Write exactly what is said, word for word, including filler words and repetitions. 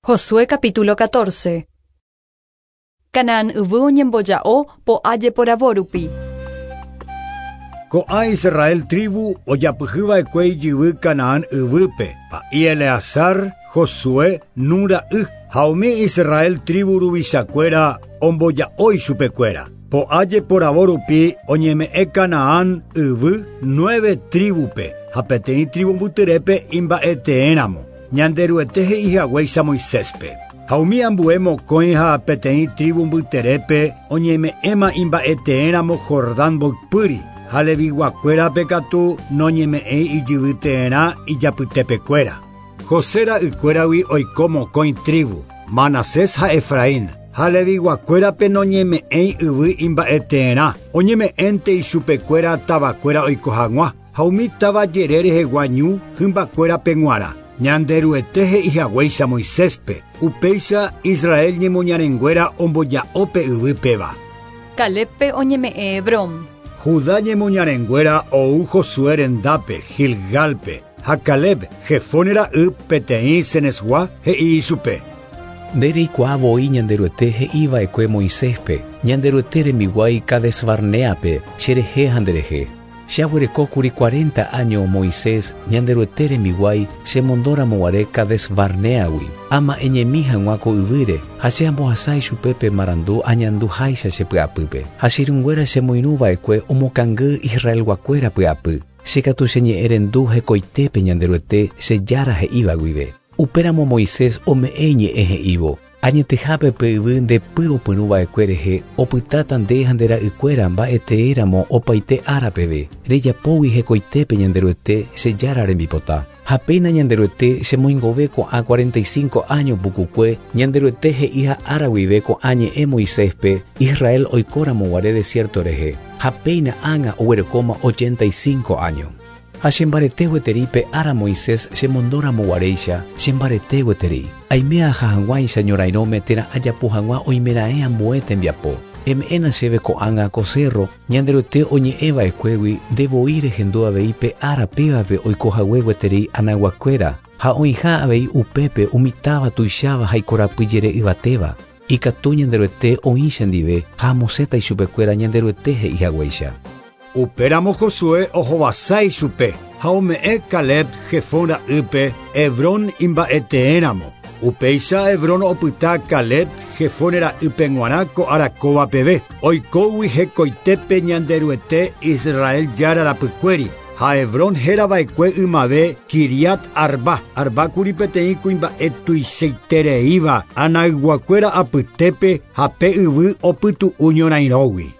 Josué capítulo catorce. Canaán yvy oñemboja'o po'a jeporavo rupi. Ko'ã Israel tribu ojapyhyva'ekue ijyvy Canaán yvýpe, pa'i Eleazar, Josué, Nun ra'y, ha umi Israel tribu ruvichakuéra omboja'o ichupekuéra. Po'a jeporavo rupi oñeme'ẽ Canaán yvy nueve tribupe, ha peteĩ tribu mbyterépe imba'eteéramo. Ñanderuete he'i haguéicha Moiséspe. Ha umi ambue mokõi ha peteĩ tribu mbyterépe oñeme'ẽma imba'eteéramo Jordán mboypýri, ha leviguakuérape katu noñeme'ẽi ijyvyteerã ijapytepekuéra. José ra'ykuéragui oiko mokõi tribu, Manasés ha Efraín. Ha leviguakuérape noñeme'ẽi yvy imba'eteerã, oñeme'ẽnte ichupekuéra tavakuéra oiko hag̃ua, ha umi táva jere rehegua ñu hymbakuérape g̃uarã. Ñanderuete he'i haguéicha Moiséspe, upéicha Israel ñemoñarenguéra omboja'ópe yvy péva. Calébpe oñeme'ẽ Hebrón. Judá ñemoñarenguéra ou Josué rendápe, Gilgalpe, ha Caleb, Jefone ra'y peteĩ Cenesgua he'i ichupe. Nde reikuaa voi Ñanderuete he'iva'ekue Moiséspe, Ñanderuete rembiguái Cades Barneape, cherehe ha nderehe. Che aguerekókuri cuarenta años Moisés, Ñanderuete rembiguái, chemondóramoguare Cades Barneagui. Ama'ẽñemi hag̃ua ko yvýre, ha che ambohasa ichupe marandu añanduháicha che py'apýpe. Ha che irũnguéra chemoirũva'ekue omokangy Israelguakuéra py'apy. Che katu cheñe'ẽrendu hekoitépe Ñanderuete che Jára he'íva guive. Upéramo Moisés ome'ẽ iñe'ẽ he'ívo. Añetehápe pe yvy ndepy opyrũva'ekue rehe opytáta nde ha nde ra'ykuéra mba'eteéramo opaite ára peve. Rejapógui hekoitépe Ñanderuete che Jára rembipota. Ha péina Ñanderuete chemoingove ko'ã cuarenta y cinco años pukukue, Ñanderuete he'iha ára guive ko'ã ñe'ẽ Moiséspe, Israel oikóramoguare desierto rehe. Ha péina ág̃a oguerekóma ochenta y cinco años. Ha chembarete gueteri pe ára Moisés chemondóramoguaréicha, chembarete gueteri. Aime aja hag̃uáicha ñorairõme térã ajapo hag̃ua oimeraẽ ambue tembiapo. Eme'ẽna chéve ko'ág̃a ko cerro, Ñanderuete oñe'ẽva'ekuégui ndevoi rehendu avei pe ára pévape oikohague gueteri anaguakuéra, ha oĩha avei upépe umi táva tuicháva ha ikorapyjere yvatéva. Ikatu Ñanderuete oĩ chendive ha amosẽta ichupekuéra Ñanderuete he'i haguéicha. Upéramo Josué ohovasa ichupe ha ome'ẽ Caleb Jefón ra'ýpe Hebrón imba'eteéramo. Upéicha Hebrón opyta Caleb Jefone ra'ýpe g̃uarã ko ára kóva peve. Oikógui hekoitépe Ñanderuete Israel Jára rapykuéri. Ha Hebrón hérava'ekue ymave Kiriat Arba. Arbákuri peteĩ kuimba'e tuichaitereíva anayguakuéra apytépe ha pe yvy opytu'u ñorairõgui.